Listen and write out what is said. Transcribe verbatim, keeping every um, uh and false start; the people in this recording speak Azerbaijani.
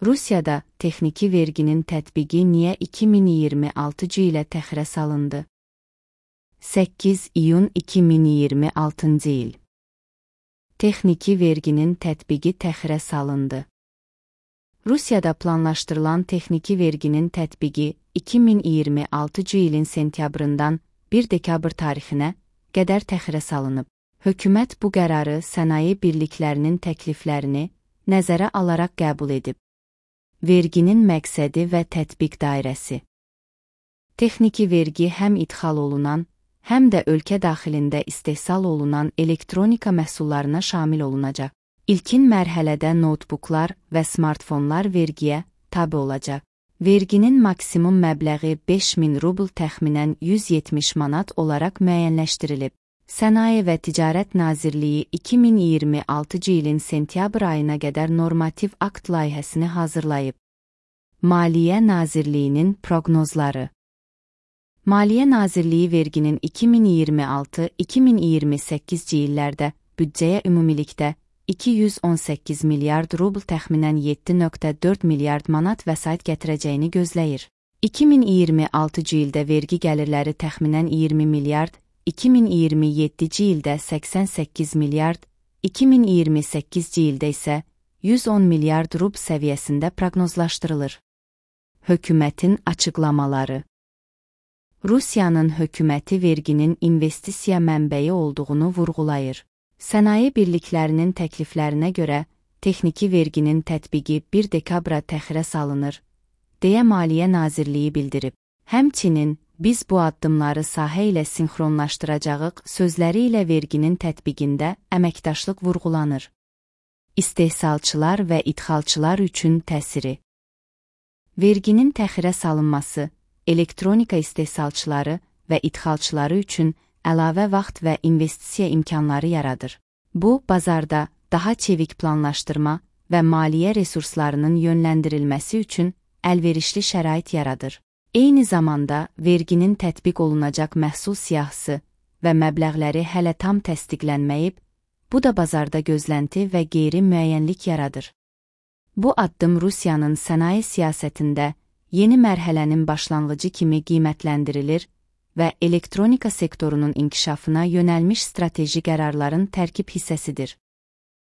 Rusiyada texniki verginin tətbiqi niyə iki min iyirmi altıncı ilə təxirə salındı? səkkiz iyun iki min iyirmi altıncı il. Texniki verginin tətbiqi təxirə salındı. Rusiyada planlaşdırılan texniki verginin tətbiqi iki min iyirmi altıncı ilin sentyabrından bir dekabr tarixinə qədər təxirə salınıb. Hökumət bu qərarı sənaye birliklərinin təkliflərini nəzərə alaraq qəbul edib. Verginin məqsədi və tətbiq dairəsi. Texniki vergi həm idxal olunan, həm də ölkə daxilində istehsal olunan elektronika məhsullarına şamil olunacaq. İlkin mərhələdə notebooklar və smartfonlar vergiyə tabe olacaq. Verginin maksimum məbləği beş min rubl təxminən yüz yetmiş manat olaraq müəyyənləşdirilib. Sənaye və Ticarət Nazirliyi iki min iyirmi altıncı ilin sentyabr ayına qədər normativ akt layihəsini hazırlayıb. Maliyyə Nazirliyinin proqnozları. Maliyyə Nazirliyi verginin iki min iyirmi altı iki min iyirmi səkkizinci illərdə büdcəyə ümumilikdə iki yüz on səkkiz milyard rubl təxminən yeddi nöqtə dörd milyard manat vəsait gətirəcəyini gözləyir. iki min iyirmi altıncı ildə vergi gəlirləri təxminən iyirmi milyard, iki min iyirmi yeddinci ildə səksən səkkiz milyard, iki min iyirmi səkkizinci ildə isə yüz on milyard rubl səviyyəsində proqnozlaşdırılır. Hökumətin açıqlamaları. Rusiyanın hökuməti verginin investisiya mənbəyi olduğunu vurğulayır. Sənaye birliklərinin təkliflərinə görə texniki verginin tətbiqi bir dekabra təxirə salınır, deyə Maliyyə Nazirliyi bildirib. Həmçinin, biz bu addımları sahə ilə sinxronlaşdıracağıq sözləri ilə verginin tətbiqində əməkdaşlıq vurğulanır. İstehsalçılar və idxalçılar üçün təsiri. Verginin təxirə salınması, elektronika istehsalçıları və idxalçıları üçün əlavə vaxt və investisiya imkanları yaradır. Bu, bazarda daha çevik planlaşdırma və maliyyə resurslarının yönləndirilməsi üçün əlverişli şərait yaradır. Eyni zamanda, verginin tətbiq olunacaq məhsul siyahısı və məbləğləri hələ tam təsdiqlənməyib, bu da bazarda gözlənti və qeyri-müəyyənlik yaradır. Bu addım Rusiyanın sənaye siyasətində yeni mərhələnin başlanğıcı kimi qiymətləndirilir və elektronika sektorunun inkişafına yönəlmiş strateji qərarların tərkib hissəsidir.